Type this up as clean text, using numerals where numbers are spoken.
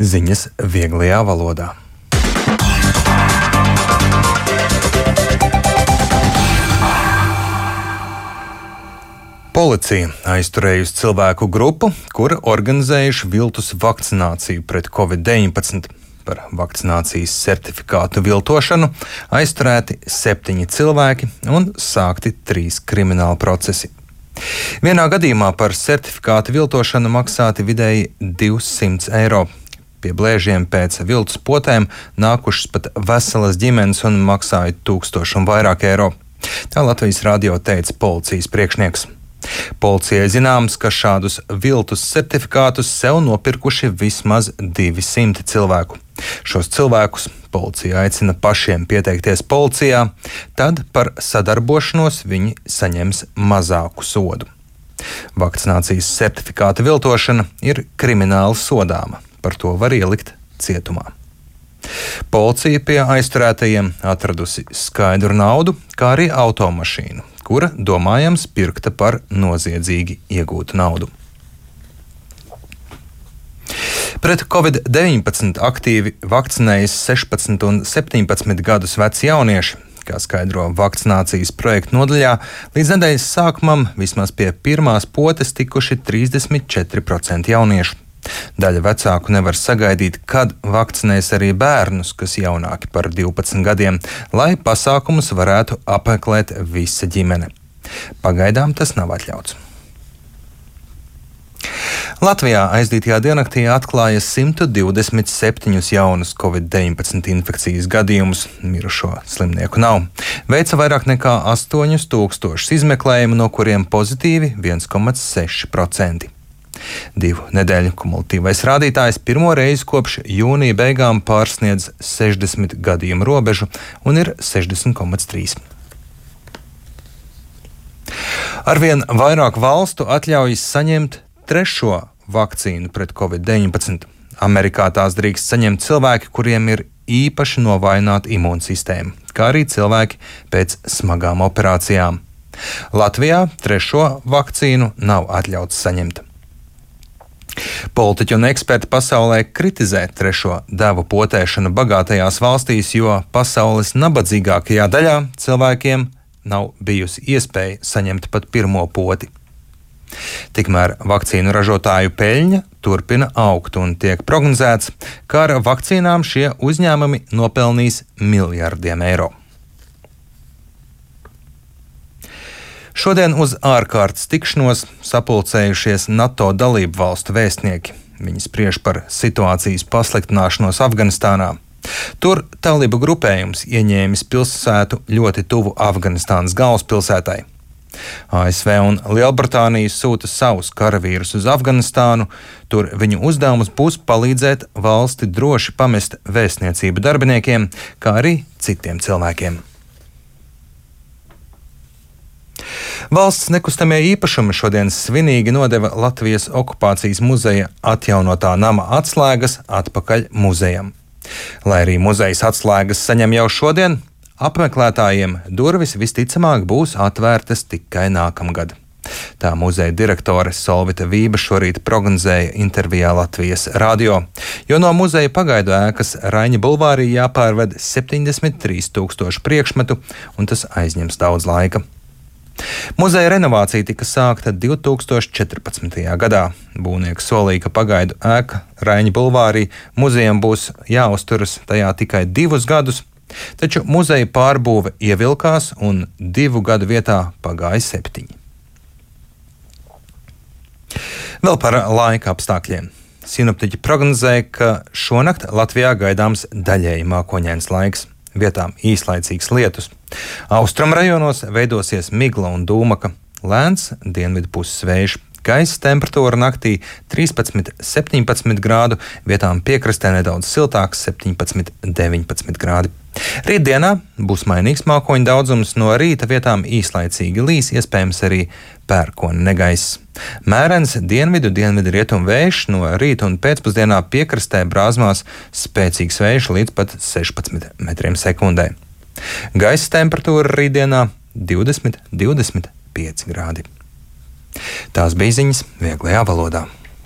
Ziņas vieglajā valodā. Policija aizturējusi cilvēku grupu, kura organizējuši viltus vakcināciju pret Covid-19. Par vakcinācijas certifikātu viltošanu aizturēti 7 cilvēki un sākti 3 krimināla procesi. Vienā gadījumā par certifikātu viltošanu maksāti vidēji 200 eiro. Pie blēžiem pēc viltus potēm nākušas pat veselas ģimenes un maksāja 1000 un vairāk eiro. Tā Latvijas radio teica policijas priekšnieks. Policijai zināms, ka šādus viltus certifikātus sev nopirkuši vismaz 200 cilvēku. Šos cilvēkus policija aicina pašiem pieteikties policijā, tad par sadarbošanos viņi saņems mazāku sodu. Vakcinācijas certifikāta viltošana ir krimināli sodāma. Par to var ielikt cietumā. Policija pie aizturētajiem atradusi skaidru naudu, kā arī automašīnu, kura domājams pirkta par noziedzīgi iegūtu naudu. Pret Covid-19 aktīvi vakcinējas 16 un 17 gadus veci jaunieši. Kā skaidro vakcinācijas projekta nodaļā, līdz nedēļas sākumam vismaz pie pirmās potes tikuši 34% jauniešu. Daļa vecāku nevar sagaidīt, kad vakcinēs arī bērnus, kas jaunāki par 12 gadiem, lai pasākumus varētu apmeklēt visa ģimene. Pagaidām tas nav atļauts. Latvijā aizdītajā diennaktī atklāja 127 jaunus Covid-19 infekcijas gadījumus. Mirušo slimnieku nav. Veica vairāk nekā 8000 izmeklējumu, no kuriem pozitīvi 1,6%. 2 nedēļu kumulatīvais rādītājs pirmo reizi kopš jūnija beigām pārsniedz 60 gadījumu robežu un ir 60,3. Arvien vairāk valstu atļaujas saņemt 3. vakcīnu pret Covid-19. Amerikā tās drīkst saņemt cilvēki, kuriem ir īpaši novājināta imūnsistēma, kā arī cilvēki pēc smagām operācijām. Latvijā 3. vakcīnu nav atļauts saņemt. Politiķi un eksperti pasaulē kritizē 3. devu potēšanu bagātajās valstīs, jo pasaules nabadzīgākajā daļā cilvēkiem nav bijusi iespēja saņemt pat 1. poti. Tikmēr vakcīnu ražotāju peļņa turpina augt un tiek prognozēts, ka ar vakcīnām šie uzņēmumi nopelnīs miljardiem eiro. Šodien uz ārkārtas tikšanos sapulcējušies NATO dalību valstu vēstnieki. Viņi spriež par situācijas pasliktināšanos Afganistānā. Tur talibu grupējums ieņēmis pilsētu ļoti tuvu Afganistānas galvaspilsētai. ASV un Lielbritānija sūta savus karavīrus uz Afganistānu. Tur viņu uzdevums būs palīdzēt valsti droši pamest vēstniecību darbiniekiem, kā arī citiem cilvēkiem. Valsts nekustamie īpašumi šodien svinīgi nodeva Latvijas okupācijas muzeja atjaunotā nama atslēgas atpakaļ muzejam. Lai arī muzejas atslēgas saņem jau šodien, apmeklētājiem durvis visticamāk būs atvērtas tikai nākamgad. Tā muzeja direktore Solvita Vība šorīt prognozēja intervijā Latvijas radio, jo no muzeja pagaidu ēkas Raiņa bulvārī jāpārved 73 000 priekšmetu, un tas aizņems daudz laika. Muzeja renovācija tika sākta 2014. gadā. Būvnieks solīja, ka pagaidu ēka Raiņa bulvārī muzejam būs jāuzturas tajā tikai 2 gadus, taču muzeja pārbūve ievilkās un 2 gadu vietā pagāja 7. Vēl par laika apstākļiem. Sinoptiķi prognozēja, ka šonakt Latvijā gaidāms daļēji mākoņains laiks. Vietām īslaicīgs lietus. Austrumu rajonos veidosies migla un dūmaka, lēns dienvidu puses vējš. Gaisa temperatūra naktī 13–17 grādu, vietām piekrastē nedaudz siltāks 17–19 grādi. Rītdienā būs mainīgs mākoņu daudzums, no rīta vietām īslaicīgi līs, iespējams arī pērkona negaiss. Mērens dienvidu rietumu vējš, no rīta un pēcpusdienā piekrastē brāzmās spēcīgs vējš līdz pat 16 metriem sekundē. Gaisa temperatūra rītdienā 20–25 grādi. Tās bija ziņas vieglajā valodā.